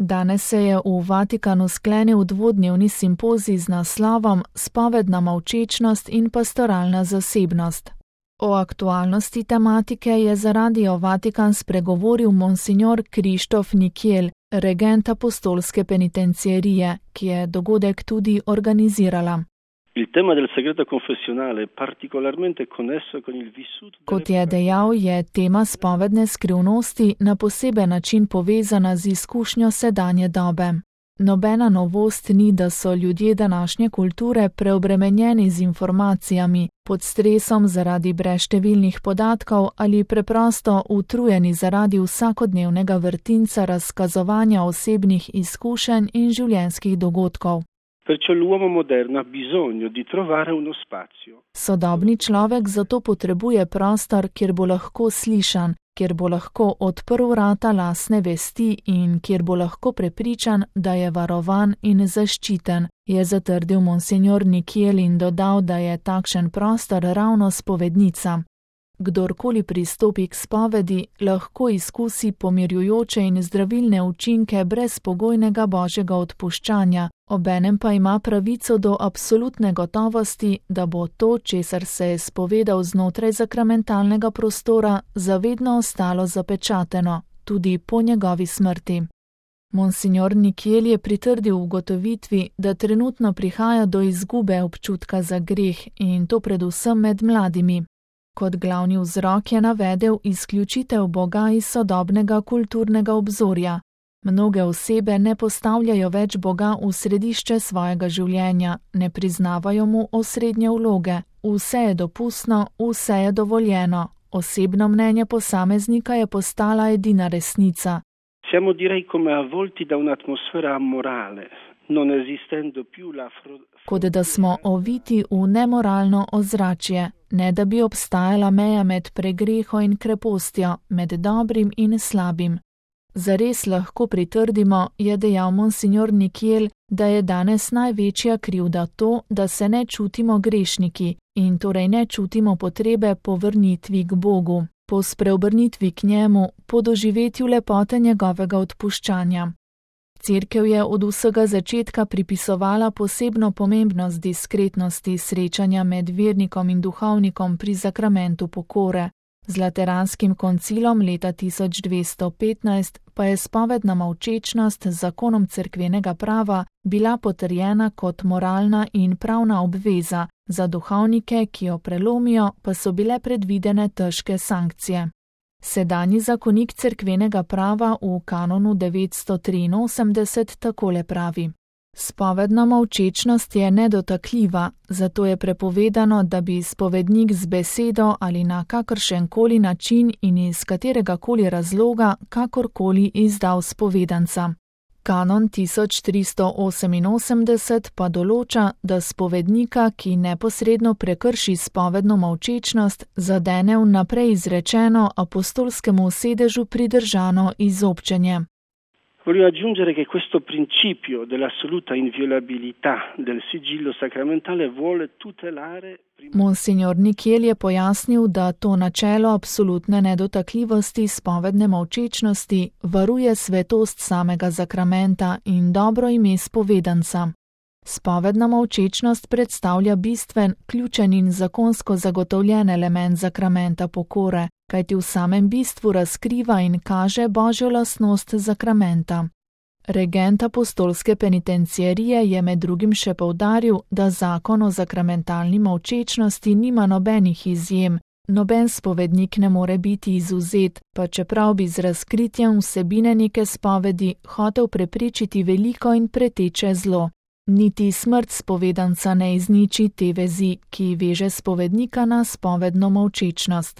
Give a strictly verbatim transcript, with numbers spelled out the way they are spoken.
Danes se je v Vatikanu sklenil dvodnevni simpozij z naslovom Spovedna molčečnost in pastoralna zasebnost. O aktualnosti tematike je za Radio Vatikan spregovoril monsignor Krištof Nikiel, regent apostolske penitenciarije, ki je dogodek tudi organizirala. Kot je dejal, je tema spovedne skrivnosti na poseben način povezana z izkušnjo sedanje dobe. Nobena novost ni, da so ljudje današnje kulture preobremenjeni z informacijami, pod stresom zaradi brezštevilnih podatkov ali preprosto utrujeni zaradi vsakodnevnega vrtinca razkazovanja osebnih izkušenj in življenjskih dogodkov. Sodobni človek zato potrebuje prostor, kjer bo lahko slišan, kjer bo lahko odprl vrata lastne vesti in kjer bo lahko prepričan, da je varovan in zaščiten, je zatrdil monsignor Nikiel in dodal, da je takšen prostor ravno spovednica. Kdorkoli pristopi k spovedi, lahko izkusi pomirjujoče in zdravilne učinke brezpogojnega božjega odpuščanja, obenem pa ima pravico do absolutne gotovosti, da bo to, česar se je spovedal znotraj sakramentalnega prostora, zavedno ostalo zapečateno, tudi po njegovi smrti. Monsignor Nikiel je pritrdil ugotovitvi, da trenutno prihaja do izgube občutka za greh in to predvsem med mladimi. Kot glavni vzrok je navedel izključitev Boga iz sodobnega kulturnega obzorja. Mnoge osebe ne postavljajo več Boga v središče svojega življenja, ne priznavajo mu osrednje vloge, vse je dopustno, vse je dovoljeno, osebno mnenje posameznika je postala edina resnica. Siamo direi come avvolti da un'atmosfera amorale. Non esistendo più la Kot da smo oviti v nemoralno ozračje, ne da bi obstajala meja med pregreho in krepostjo, med dobrim in slabim. Zares lahko pritrdimo, je dejal monsignor Nikiel, da je danes največja krivda to, da se ne čutimo grešniki in torej ne čutimo potrebe po vrnitvi k Bogu, po spreobrnitvi k njemu, po doživetju lepote njegovega odpuščanja. Cerkev je od vsega začetka pripisovala posebno pomembnost diskretnosti srečanja med vernikom in duhovnikom pri sakramentu pokore. Z Lateranskim koncilom leta tisoč dvesto petnajst pa je spovedna molčečnost z zakonom cerkvenega prava bila potrjena kot moralna in pravna obveza, za duhovnike, ki jo prelomijo, pa so bile predvidene težke sankcije. Sedanji zakonik cerkvenega prava v kanonu devetsto triinosemdeset takole pravi: Spovedna molčečnost je nedotakljiva, zato je prepovedano, da bi spovednik z besedo ali na kakršenkoli način in iz kateregakoli razloga kakorkoli izdal spovedanca. Kanon tisoč tristo oseminosemdeset pa določa, da spovednika, ki neposredno prekrši spovedno molčečnost, zadene vnaprej izrečeno apostolskemu sedežu pridržano izobčenje. Voglio aggiungere che questo principio dell'assoluta inviolabilità del sigillo sacramentale vuole tutelare. Monsignor Nikiel je pojasnil, da to načelo absolutne nedotakljivosti spovedne molčečnosti varuje svetost samega sakramenta in dobro ime spovedanca. Spovedna molčečnost predstavlja bistven, ključen in zakonsko zagotovljen element sakramenta pokore, kajti v samem bistvu razkriva in kaže božjo lastnost sakramenta. Regent apostolske penitenciarije je med drugim še poudaril, da zakon o sakramentalni molčečnosti nima nobenih izjem, noben spovednik ne more biti izvzet, pa čeprav bi z razkritjem vsebine neke spovedi hotel preprečiti veliko in preteče zlo. Niti smrt spovedanca ne izniči te vezi, ki veže spovednika na spovedno molčečnost.